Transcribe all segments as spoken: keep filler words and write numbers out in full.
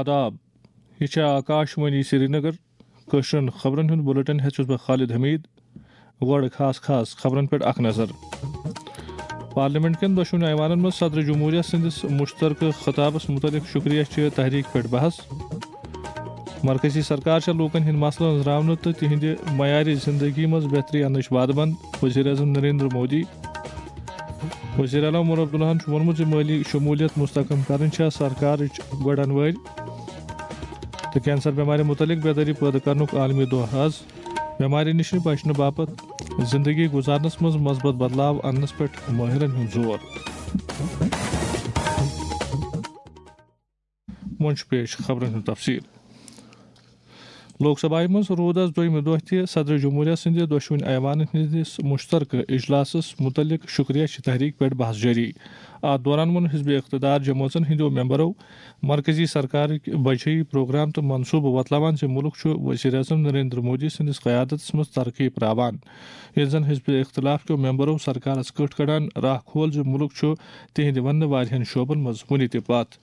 آداب، یہِ چھےٚ آکاش وانی سرینگر۔ کٲشرٮ۪ن خبرن ہُنٛد بُلٹن ہٮ۪تھ چھُس بہٕ خالد حمید۔ گۄڈٕ خاص خاص خبرن پٮ۪ٹھ اکھ نظر۔ پارلیمنٹ کٮ۪ن دۄشوٕنی ایوانن منٛز صدر جمہوریہ سٕنٛدِس مشترکہٕ خطابس متعلق شکریہ چہِ تحریک پٮ۪ٹھ بحث۔ مرکزی سرکار چھےٚ لوٗکن ہٕنٛدۍ مسلہٕ أنٛزراونہٕ تہٕ تِہنٛدِ معیارِ زندگی منٛز بہتری اننٕچ وعدٕ بنٛد، وزیر اعظم نریندر مودی۔ وزیر اعلیٰ عمر عبداللہن چھُ ووٚنمُت زِ مٲلی شمولیت مستحکم کرٕنۍ چھےٚ سرکارٕچ گۄڈن وٲرۍ۔ تہٕ کینسر بٮ۪مارِ مُتعلق بیدٲری پٲدٕ کرنُک عالمی دۄہ آز۔ بٮ۪مارِ نِش بچنہٕ باپتھ زندگی گُزارنس منٛز مثبت بدلاو اننس پٮ۪ٹھ مٲہرن ہُنٛد زور۔ وۄنۍ چھُ پیش خبرن ہُنٛد تفصیل۔ لوک سبھایہ منٛز روٗد آز دوٚیمہِ دۄہ تہِ صدر جمہوریہ سٕنٛدِ دۄشوٕنی ایوانن ہٕنٛدِس مشترکہٕ اجلاسس مُتعلق شکریہ چہِ تحریک پٮ۪ٹھ بحث جٲری۔ اتھ دوران ووٚن حزب اقتدار جمٲژن ہٕنٛدیو ممبرو مرکزی سرکارٕکۍ بجٲیی پروگرام تہٕ منصوبہٕ وۄتلاوان زِ مُلک چھُ وزیر اعظم نریندر مودی سٕنٛدِس قیادتس منٛز ترقی پراوان، ییٚلہِ زن حزب اختلاف کیو ممبرو سرکارس کٔٹھۍ کڑان راہ کھول زِ مُلک چھُ تِہنٛدِ وننہٕ واریاہن شعبن منٛز وُنہِ تہِ پتھ۔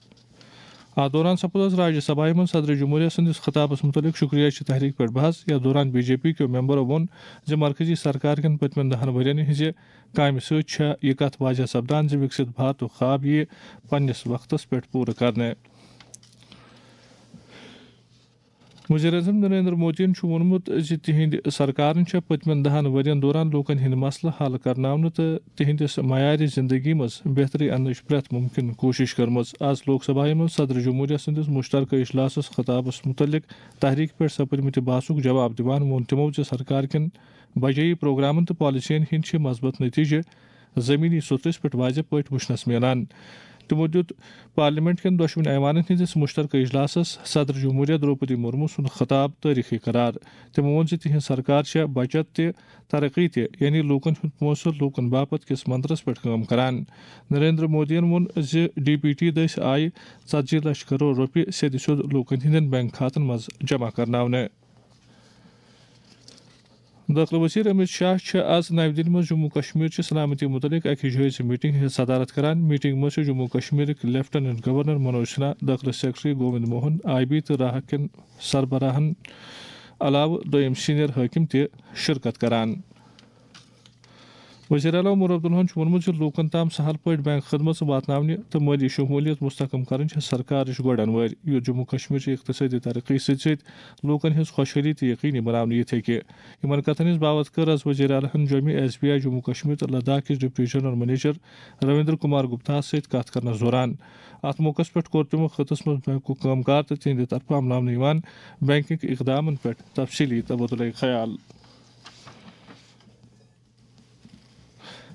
اتھ دوران سپُد راجیہ سبھایہ منٛز صدر جمہوریہ سٕنٛدِس خطابس مُتعلق شکریہ چہِ تحریک پٮ۪ٹھ بحث۔ یتھ دوران بی جے پی کیو ممبرو ووٚن زِ مرکزی سرکار کٮ۪ن پٔتمٮ۪ن دہن ؤرین ہٕنٛزِ کامہِ سۭتۍ چھےٚ یہِ کتھ واضح سپدان زِ وِکسِت بھارتُک خواب یِیہِ پننِس وقتس پٮ۪ٹھ پوٗرٕ کرنہٕ۔ وزیر اعظم نریندر مودیَن چھُ ووٚنمُت زِ تِہنٛدِ سرکارن چھےٚ پٔتمٮ۪ن دہن ؤرین دوران لوٗکن ہٕنٛدۍ مسلہٕ حل کرناونہٕ تہٕ تِہنٛدِس معیارِ زندگی منٛز بہتری اننٕچ پرٛٮ۪تھ مُمکِن کوٗشش کٔرمٕژ۔ آز لوک سبھایہ منٛز صدر جمہوریہ سٕنٛدِس مشترکہ اجلاسس خطابس مُتعلق تحریک پٮ۪ٹھ سپٕدمٕتہِ بحثُک جواب دِوان ووٚن تِمو زِ سرکار کٮ۪ن بجٲیی پروگرامن تہٕ پالیسین ہٕنٛدۍ چھِ مثبت نتیجہٕ زمینی سطحس پٮ۪ٹھ واضح پٲٹھۍ وُچھنس میلان۔ تِمو دیُت پارلیمنٹ کٮ۪ن دۄشوٕنی ایوانن ہٕنٛدِس مشترکہ اجلاسس صدر جمہوریہ درٛوپدی مرمو سُنٛد خطاب تٲریخی قرار۔ تِمو ووٚن زِ تِہنٛز سرکار چھےٚ بچت تہِ ترقی تہِ، یعنی لوٗکن ہُنٛد پونٛسہٕ لوٗکن باپتھ کِس منترس پٮ۪ٹھ کٲم کران۔ نریندر مودیَن ووٚن زِ ڈی بی ٹی دٔسۍ آیہِ ژتجی لچھ کرور رۄپیہِ سیٚدِ سیوٚد لوٗکن ہٕنٛدٮ۪ن بینک کھاتن منٛز جمع کرناونہٕ۔ دٲخلہٕ وزیر امیت شاہ چھِ آز نَوِ دِلہِ منٛز جموں کشمیر چہِ سلامتی مُتعلق اکہِ جٲیزٕ میٹنگ ہٕنٛز صدارت کران۔ میٹنگ منٛز چھِ جموں کشمیرٕکۍ لیفٹیننٹ گورنر منوج سنہا، دٲخلہٕ secretary Govind Mohan, I B تہٕ راہ کٮ۪ن سربراہن علاوٕ دوٚیِم سینئر حٲکم تہِ شرکت کران۔ وزیر اعلیٰ عمر عبداللہن چھُ ووٚنمُت زِ لوٗکَن تام سہل پٲٹھۍ بینک خدمژٕ واتناونہِ تہٕ مٲلی شمولیت مستحکم کرٕنۍ چھےٚ سرکارٕچ گۄڈَن وٲرۍ، یُتھ جموں کشمیر چہِ اقتصٲدی ترقی سۭتۍ سۭتۍ لوٗکَن ہٕنٛز خۄشحٲلی تہِ یقینی بناونہٕ یِتھ ہیٚکہِ۔ یِمَن کَتھَن ہٕنٛز باوَتھ کٔر آز وزیر اعلیٰ ہن جوٚمہِ، S B I Jammu Kashmir تہٕ لداخ کِس deputy general manager Ravinder Kumar گپتاہَس سۭتۍ کَتھ کرنَس دوران۔ اَتھ موقعَس پٮ۪ٹھ کوٚر تِمو خٕطس منٛز بینکُک کٲم کار تہٕ تِہنٛدِ طرفہٕ عملاونہٕ یِوان بینکنگ اقدامَن پٮ۪ٹھ تفصیٖلی تبادلہ خیال۔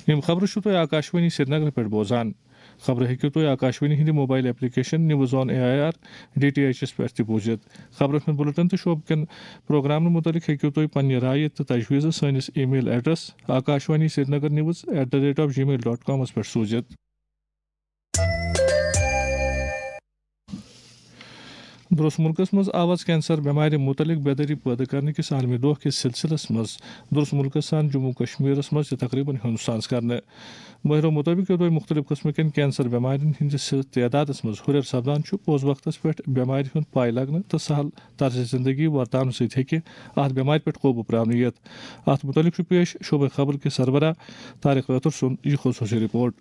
یِم خبرٕ چھِو تُہۍ آکاشوانی سرینگرٕ پٮ۪ٹھ بوزان۔ خبرٕ ہیٚکِو تُہۍ آکاشوانی ہِنٛدِ mobile application news on A I R D T H یَس پٮ۪ٹھ تہِ بوٗزِتھ۔ خبرن ہُنٛد بُلٹن تہٕ شعبہٕ کٮ۪ن پروگرامن مُتعلِق ہیٚکِو تُہۍ پننہِ رایہِ تہٕ تجویٖزٕ سٲنِس email address Akashvani Srinagar news at the rate of Gmail dot کامَس پٮ۪ٹھ سوٗزِتھ۔ درس ملکس منٛز آو آز کینسر بٮ۪مارِ مُتعلق بیدٲری پٲدٕ کرنہٕ کِس عالمی دۄہ کِس سلسلس منٛز درس ملکس سان جموں کشمیرس منٛز تہِ تقریباً ہُنٛد ساز کرنہٕ۔ مٲہرو مُطٲبِق یوٚدوے مُختٔلِف قٕسمہٕ کٮ۪ن کینسر بٮ۪مارٮ۪ن ہٕنٛدِس تعدادس منٛز ہُرٮ۪ر سپدان چھُ، پوٚز وقتس پٮ۪ٹھ بٮ۪مارِ ہُنٛد پاے لگنہٕ تہٕ سہل طرزِ زندگی ورتاونہٕ سۭتۍ ہیٚکہِ اتھ بٮ۪مارِ پٮ۪ٹھ قوبوٗ پراونہٕ یِتھ۔ اتھ مُتعلق چھُ پیش شعبہٕ خبر کِس سربراہ طارق رٲتھر سُنٛد یہِ خصوٗصی رپورٹ۔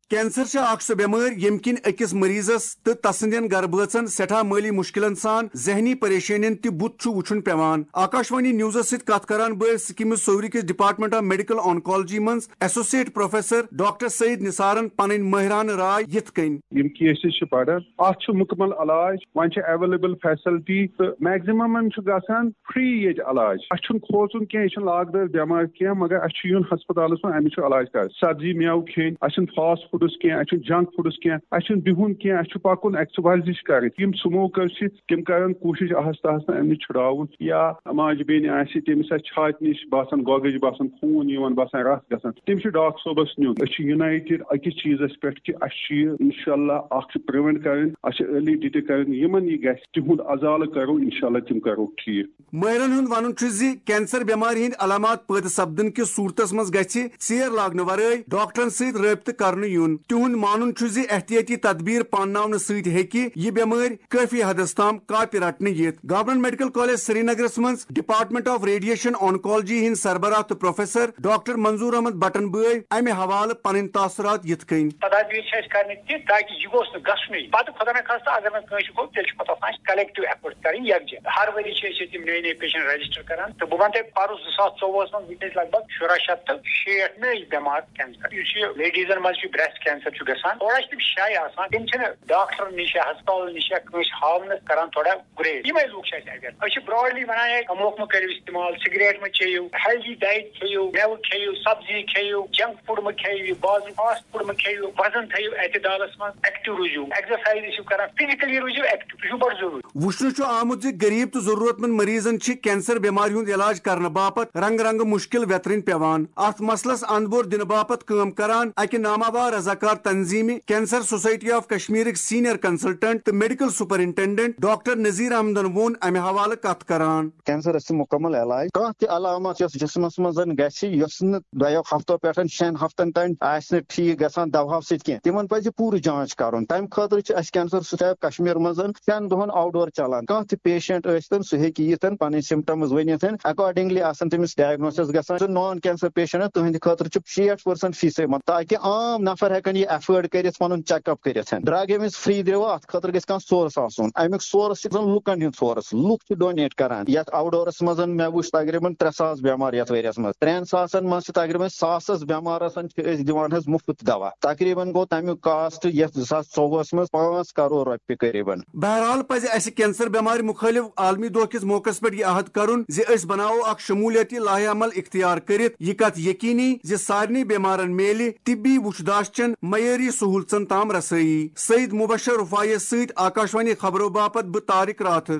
کینسر چھِ اکھ سۄ بٮ۪مٲرۍ ییٚمہِ کِنۍ أکِس مریضس تہٕ تسٕنٛدٮ۪ن گرٕ بٲژن سٮ۪ٹھاہ مٲلی مُشکِلن سان ذہنی پریشٲنین تہِ بُتھ چھُ وُچھُن پٮ۪وان۔ آکاشوانی نیوزس سۭتۍ کتھ کران بٲوۍ سکمز صوورِ کِس ڈپارٹمنٹ آف میڈیکل آنکالوجی منٛز ایسوسیٹ پروفیسر ڈاکٹر سعید نثارن پنٕنۍ مٲہرانہٕ راے یِتھ کٔنۍ۔ یِم کیسز چھِ بڑان، اتھ چھُ مُکمل علاج، وۄنۍ چھِ اویلیبل فیسلٹی تہٕ میکزِممن چھُ گژھان فری ییٚتہِ علاج۔ اَسہِ چھُنہٕ کھوژُن کینٛہہ، یہِ چھُنہٕ لاگ دٲر بٮ۪مارِ کینٛہہ، مگر اَسہِ چھُ یُن ہسپتالَس منٛز، اَمِچ چھُ علاج کَرُن۔ سبزی مٮ۪وٕ کھیٚنۍ، اَسہِ چھُنہٕ فاسٹ فوڈَس کینٛہہ، اَسہِ چھُنہٕ جنک فوڈَس کینٛہہ، اَسہِ چھُنہٕ بِہُن کینٛہہ، اَسہِ چھُ پَکُن، ایکسرسایز چھِ کَرٕنۍ۔ یِم سموکر چھِ، تِم کَرَن کوٗشِش آہستہٕ آہستہٕ اَمہِ نِش چھُڑاوُن۔ یا ماجہِ بیٚنہِ آسہِ، تٔمِس آسہِ چھاتہِ نِش باسان گۄگٕج، باسان خوٗن یِوان، باسان رَس گژھان، تٔمِس چھُ ڈاکٹر صٲبَس نیُن۔ أسۍ چھِ یونایٹڈ أکِس چیٖزَس پٮ۪ٹھ کہِ اَسہِ چھُ یہِ، اِنشاءاللہ، اَکھ چھُ پرٛوینٹ کَرٕنۍ، اَسہِ چھِ ارلی ڈِٹیکٹ کَرٕنۍ۔ یِمَن یہِ گژھِ، تِہُنٛد ازالہٕ کَرو، اِنشاءاللہ، تِم کَرو ٹھیٖک۔ مٲہرَن ہُنٛد وَنُن چھُ زِ کینسر بٮ۪مارِ ہٕنٛدۍ علامات پٲدٕ سپدٕنہٕ کِس صوٗرتس منٛز گژھِ ژیر لاگنہٕ ورٲے ڈاکٹرن سۭتۍ رٲبطہٕ کرنہٕ یُن۔ تِہُنٛد مانُن چھُ زِ احتیاطی تدبیر پانناونہٕ سۭتۍ ہیٚکہِ یہِ بٮ۪مٲرۍ کٲفی حدس تام کاپہِ رٹنہٕ یِتھ۔ گورنمنٹ میڈیکل کالج سرینگرس منٛز ڈپارٹمنٹ آف ریڈیشن آنکالوجی ہٕنٛدۍ سربراہ تہٕ پروفیسر ڈاکٹر منظور احمد بٹن بٲے امہِ حوالہٕ پنٕنۍ تاثرات یِتھ کٔنۍ۔ تدابیر چھِ اَسہِ کرنہِ تہِ تاکہِ یہِ گوٚژھ نہٕ گژھنُے۔ پتہٕ خۄدا نخواستہٕ اگر نہٕ کٲنٛسہِ گوٚو، تیٚلہِ چھُ پتہٕ آسان اَسہِ کلیکٹو ایفٲرٹ کرٕنۍ یکجا۔ ہر ؤری چھِ أسۍ ییٚتہِ یِم نٔے نٔے پیشنٹ رجسٹر کران، تہٕ بہٕ وَنہٕ تۄہہِ، پَرُس زٕ ساس ژوٚوُہَس منٛز وٕنکیٚس لگ بگ شُراہ شیٚتھ تہٕ شیٹھ نٔے بٮ۪مار کینسر۔ یُس یہِ لیڈیٖزن منٛز چھُ بریسٹ کینسر چھُ گژھان، تھوڑا چھِ تِم شاے آسان، تِم چھِنہٕ ڈاکٹرن نِش یا ہسپتالن نِش یا کٲنٛسہِ ہاونہٕ کران تھوڑا گُریز۔ یِمے لوٗکھ چھِ اَسہِ اویئر۔ أسۍ چھِ براڈلی وَنان ہے، تموک مہٕ کٔرِو استعمال، سگریٹ مہٕ چیٚیِو، ہیلدی ڈایٹ کھیٚیِو، مٮ۪وٕ کھیٚیِو، سبزی کھیٚیِو، جنک فوڈ مہٕ کھیٚیِو، بازرُک فاسٹ فوڈ مہٕ کھیٚیِو، وزن تھٲیِو اعتدالس منٛز، ایکٹیو روٗزِو، ایکزرسایز ٲسِو کران، فزیکلی روٗزِو ایکٹیو، یہِ چھُ بڑٕ ضروٗری۔ وُچھنہٕ چھُ آمُت زِ غریب تہٕ ضروٗرت مند مریضن چھِ کینسر بٮ۪مارِ ہُنٛد علاج کرنہٕ باپتھ رنگہٕ رنگہٕ مُشکِل ویترٕنۍ پٮ۪وان۔ اتھ مسلس اندبور دِنہٕ باپتھ کٲم کران اکہِ ناماوار رضاکار تنظیمہِ کینسر سوسائٹی آف کشمیرٕکۍ سینئر کنسلٹنٹ تہٕ میڈیکل سپرنٹنڈنٹ ڈاکٹر نذیر احمدن ووٚن امہِ حوالہٕ کتھ کران۔ کینسرس چھُ مکمل علاج۔ کانٛہہ تہِ علامت یۄس جسمس منٛز گژھِ، یۄس نہٕ دۄیو ہفتو پٮ۪ٹھ شٮ۪ن ہفتن تام آسہِ نہٕ ٹھیٖک گژھان دوہو سۭتۍ کینٛہہ، تِمن پزِ پوٗرٕ جانچ کرُن۔ تمہِ خٲطرٕ چھِ اسہِ کینسر سوسائٹی آف کشمیر منٛز شٮ۪ن دۄہن آوٹ ڈور چلان۔ کانٛہہ تہِ پیشنٹ ٲسۍتن، سُہ ہیٚکہِ یِتھ، پنٕنۍ سمپٹمز ؤنِتھ، اکارڈنگلی آسن تٔمِس ڈائگنوسس گژھان۔ تہٕ نان کینسر پیشنٹ تہنٛدِ خٲطرٕ چھُ شیٹھ پٔرسنٹ فیسٕے منٛز، تاکہِ عام نفر ہیٚکن یہِ ایفٲرڈ کٔرِتھ، پنُن چیک اپ کٔرِتھ۔ ڈرگ ییٚمِس فری دِوان، اتھ خٲطرٕ گژھِ کانٛہہ سورس آسُن۔ امیُک سورس چھُ زن لُکن ہُنٛد سورس۔ لُکھ چھِ ڈونیٹ کران۔ یتھ آوٹ ڈورس منٛز مےٚ وُچھ تقریباً ترٛےٚ ساس بٮ۪مار یتھ ؤریس منٛز۔ ترٛٮ۪ن ساسن منٛز چھِ تقریباً ساسس بٮ۪مارس چھِ أسۍ دِوان حظ مُفت دوا۔ تقریباً گوٚو تمیُک کاسٹ یتھ زٕ ساس ژوٚوُہس منٛز پانٛژھ کرور رۄپیہِ قریباً۔ بہرحال پزِ اسہِ کینسر بٮ۪مارِ مُخٲلف عالمی دۄہ کِس موقعس پٮ۪ٹھ یہِ عہد کرُن زِ أسۍ بناوو اکھ شمولیتی لایحہ عمل اختیار کٔرِتھ یہِ کتھ یقینی زِ سارنٕے بٮ۪مارن میلہِ طبی وُچھ داشت چٮ۪ن معیٲری سہولژن تام رسٲیی۔ سعید مبشر رفاعیس سۭتۍ آکاشوانی خبرو باپتھ بہٕ طارق راتھر۔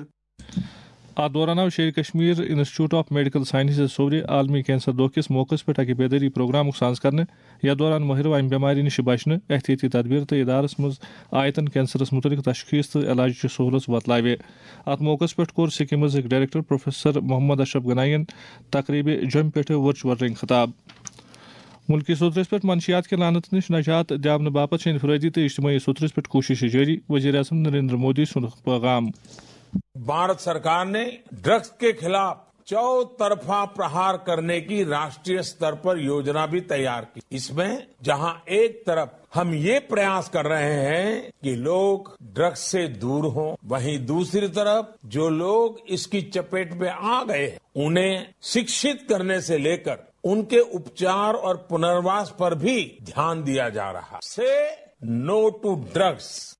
اتھ دوران آو Sher-i Kashmir institute of medical sciences سورِ عالمی کینسر دۄہ کِس موقعس پٮ۪ٹھ اکہِ بیدٲری پروگرامُک سانز کرنہٕ۔ یتھ دوران مٲہرو امہِ بٮ۪مارِ نِش بچنہٕ، احتیاطی تدبیر تہٕ ادارس منٛز آیتن کینسرس متعلق تشخیص تہٕ علاجچہِ سہولژ وۄتلٲوِ۔ اتھ موقعس پٮ۪ٹھ کوٚر سکمز أکۍ ڈائریکٹر پروفیسر محمد اشرف گنائی ین تقریبہِ جوٚمہِ پٮ۪ٹھٕ ورچوئل رنگہِ خطاب۔ ملکی سطحس پٮ۪ٹھ منشیات کہِ لعنت نِش نجات دِیاونہٕ باپتھ چھِ انفرادی تہٕ اجتماعی سطحس پٮ۪ٹھ کوٗششہٕ جٲری، وزیر اعظم نریندر مودی سُنٛد پیغام۔ भारत सरकार ने ड्रग्स के खिलाफ चौतरफा प्रहार करने की राष्ट्रीय स्तर पर योजना भी तैयार की। इसमें जहां एक तरफ हम ये प्रयास कर रहे हैं कि लोग ड्रग्स से दूर हों, वहीं दूसरी तरफ जो लोग इसकी चपेट में आ गए हैं, उन्हें शिक्षित करने से लेकर उनके उपचार और पुनर्वास पर भी ध्यान दिया जा रहा है। से नो टू ड्रग्स।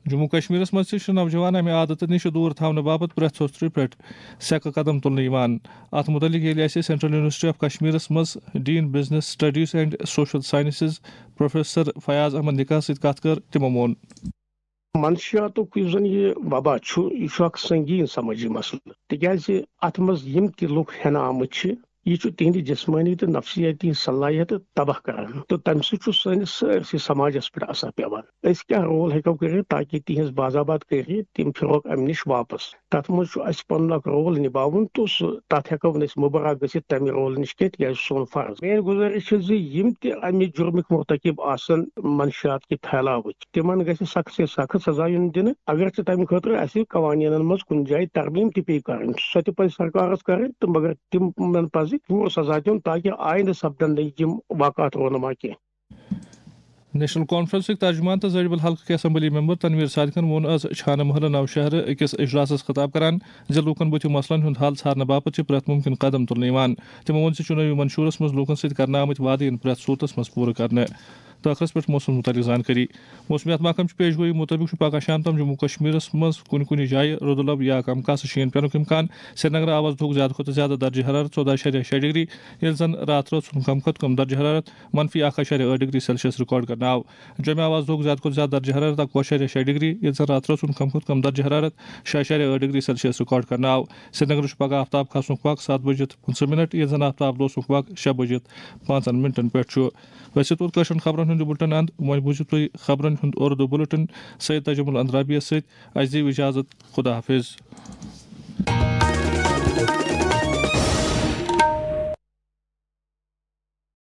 جموں و کشمیرس منٛز تہِ چھِ نوجوان امہِ عادتہٕ نِش دوٗر تھاونہٕ باپتھ پرٛٮ۪تھ سوٚترِ پٮ۪ٹھ سیٚکہٕ قدم تُلنہٕ یِوان۔ اتھ مُتعلِق ییٚلہِ اسہِ سینٹرل یونیورسٹی آف کشمیرس منٛز dean business studies and social sciences professor Fayaz Ahmad نکاح سۭتۍ کتھ کٔر، تِمو ووٚن۔ منشیاتُک یُس زن یہِ وبا چھُ، یہِ چھُ اکھ سنگین سمٲجی مسلہٕ، تِکیازِ اتھ منٛز یِم تہِ لُکھ ہٮ۪نہٕ آمٕتۍ چھِ، یہِ چھُ تِہنٛدِ جسمٲنی تہٕ نفسیٲتی صلٲحیت تباہ کران تہٕ تمہِ سۭتۍ چھُ سٲنِس سٲرسٕے سماجس پٮ۪ٹھ اثر پٮ۪وان۔ أسۍ کیٛاہ رول ہیٚکو کٔرِتھ تاکہِ تِہنٛز باضابط کٔرِتھ تِم پھِرہوکھ امہِ نِش واپس؟ تتھ منٛز چھُ اسہِ پنُن اکھ رول نباوُن تہٕ سُہ تتھ ہیٚکو نہٕ أسۍ مُبرا گٔژھِتھ تمہِ رول نِش کینٛہہ، تِکیازِ سُہ چھُ سون فرض۔ میٲنۍ گُزٲرِش چھِ زِ یِم تہِ امہِ جُرمٕکۍ مرتکب آسن منشیات کہِ پھیلاوٕکۍ، تِمن گژھِ سخت سے سخت سزا یُن دِنہٕ، اگرچہِ تمہِ خٲطرٕ اسہِ قوانینن منٛز کُنہِ جایہِ ترمیم تہِ پیٚیہِ کرٕنۍ، سۄ تہِ پزِ سرکارس کرٕنۍ تہٕ مگر تِمن پزِ پوٗرٕ سزا دیُن تاکہِ آیندٕ سپدن نہٕ یِم واقعات رونما کینٛہہ۔ نیشنل کانفرنسٕکۍ ترجمان تہٕ زٲڑۍ بل حلقہٕ کہِ اسمبلی ممبر تنویر صادقن ووٚن از چھانہٕ محلہٕ نوشہرٕ أکِس اجلاسس خطاب کران زِ لوٗکن بُتھِ مسلن ہُنٛد حل ژھارنہٕ باپتھ چھِ پرٛٮ۪تھ مُمکِن قدم تُلنہٕ یِوان۔ تِمو ووٚن زِ چُنٲوی منشورس منٛز لوٗکن سۭتۍ کرنہٕ آمٕتۍ وعدٕ یِن پرٛٮ۪تھ صوٗرتس منٛز پوٗرٕ کرنہٕ۔ تہٕ ٲخرس پٮ۪ٹھ موسمس مُتعلق زانکٲری۔ موسمیات محکمہٕ چہِ پیش گویی مُطٲبِق چھُ پگہہ شام تام جموں و کشمیرس منٛز کُنہِ کُنہِ جایہِ رُدٕ لب یا کم کاسہٕ شیٖن پینُک امکان۔ سرینگرٕ آو از دۄہُک زیادٕ کھۄتہٕ زیادٕ درجہ حرارت ژۄدہ اَشاریہ شےٚ ڈگری، ییٚلہِ زن راتھ رٲژ ہُنٛد کم کھۄتہٕ کم درجہ حرارت منفی اکھ اَشاریہ ٲٹھ ڈگری سیلسیس ریکارڈ کرنہٕ آو۔ جوٚمہِ آو از دۄہُک زیادٕ کھۄتہٕ زیادٕ درجہ حرارت اَکوُہ اَشاریہ شےٚ ڈگری، ییٚلہِ زن راتھ رٲژ ہُنٛد کم کھۄتہٕ کم درجہ حرارت شےٚ اَشاریہ ٲٹھ ڈگری سیلسیس ریکارڈ کرنہٕ آو۔ سرینگرٕ چھُ پگہہ آفتاب کھسنُک وق ستھ بجِتھ پٕنٛژٕہ منٹ، ییٚلہِ زن آفتاب لوسنُک وق شےٚ بجِتھ پانٛژن منٹن پٮ۪ٹھ چھُ۔ أسۍ چھِ توٚت کٲشرٮ۪ن خبرن ہُنٛد یہِ بُلٹن اند۔ وۄنۍ بوٗزِو تُہۍ خبرن ہُنٛد اُردو بُلٹن سید تاج المل اندرابیس سۭتۍ۔ اَسہِ دِیِو اجازت۔ خدا حافظ۔